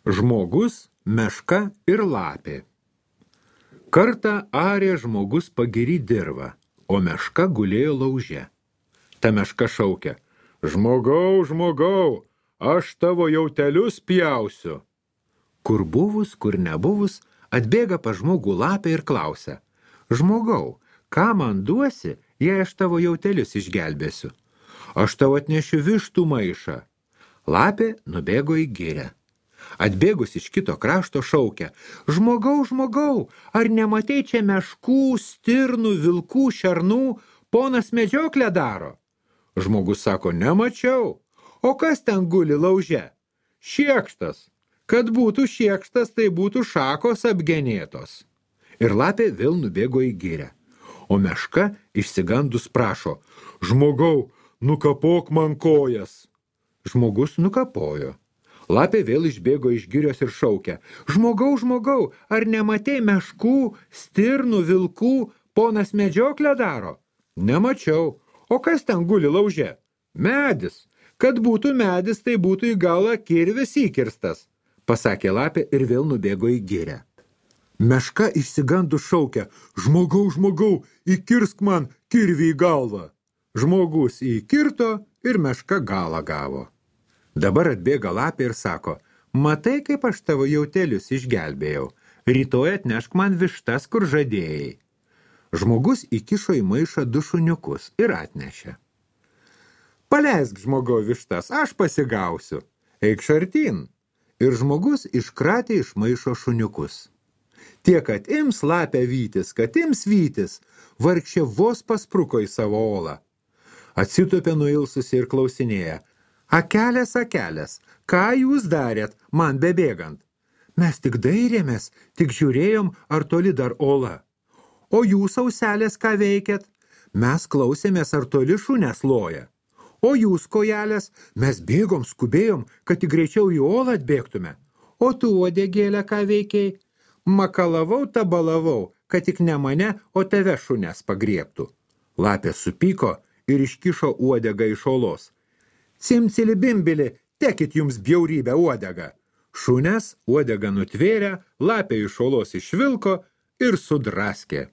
Žmogus, meška ir lapė. Kartą arė žmogus pagiry dirvą, o meška gulėjo lauže. Ta meška šaukia: žmogau, žmogau, aš tavo jautelius pjausiu. Kur buvus, kur nebuvus, atbėga pas žmogų lapė ir klausia: žmogau, ką man duosi, jei aš tavo jautelius išgelbėsiu? Aš tau atnešiu vištų maišą. Lapė nubėgo į girią. Atbėgus iš kito krašto šaukia: žmogau, žmogau, ar nematei čia meškų, stirnų, vilkų, šernų, ponas medžioklę daro? Žmogus sako: nemačiau. O kas ten guli lauže? Šiekštas. Kad būtų šiekštas, tai būtų šakos apgenėtos. Ir lapė vėl nubėgo į girią. O meška išsigandus prašo: žmogau, nukapok man kojas. Žmogus nukapojo. Lapė vėl išbėgo iš girios ir šaukia: žmogau, žmogau, ar nematei meškų, stirnų, vilkų, ponas medžioklę daro? Nemačiau. O kas ten guli lauže? Medis. Kad būtų medis, tai būtų į galą kirvis įkirstas, pasakė lapė ir vėl nubėgo į girią. Meška išsigandus šaukia: žmogau, žmogau, įkirsk man kirvį į galvą. Žmogus įkirto ir meška galą gavo. Dabar atbėga lapė ir sako: matai, kaip aš tavo jautelius išgelbėjau, rytoj atnešk man vištas, kur žadėjai. Žmogus įkišo į maišą 2 šuniukus ir atnešė. Paleisk, žmogau, vištas, aš pasigausiu. Eik šartin. Ir žmogus iškratė iš maišo šuniukus. Tie, kad ims lapę vytis, kad ims vytis, vargšė vos paspruko į savo olą. Atsitupė nuilsusi ir klausinėja: akelės, akelės, ką jūs darėt, man bebėgant? Mes tik dairėmės, tik žiūrėjom, ar toli dar ola. O jūs, auselės, ką veikėt? Mes klausėmės, ar toli šunės loja. O jūs, kojelės, mes bėgom, skubėjom, kad tik greičiau į olą atbėgtume. O tu, uodegėlė, ką veikiai? Makalavau, tabalavau, kad tik ne mane, o tave šunės pagriebtų. Lapė supyko ir iškišo uodegą iš olos. Cimcili bimbili, tekit jums bjaurybę uodegą. Šunės uodegą nutvėrė, lapė iš olos išvilko ir sudraskė.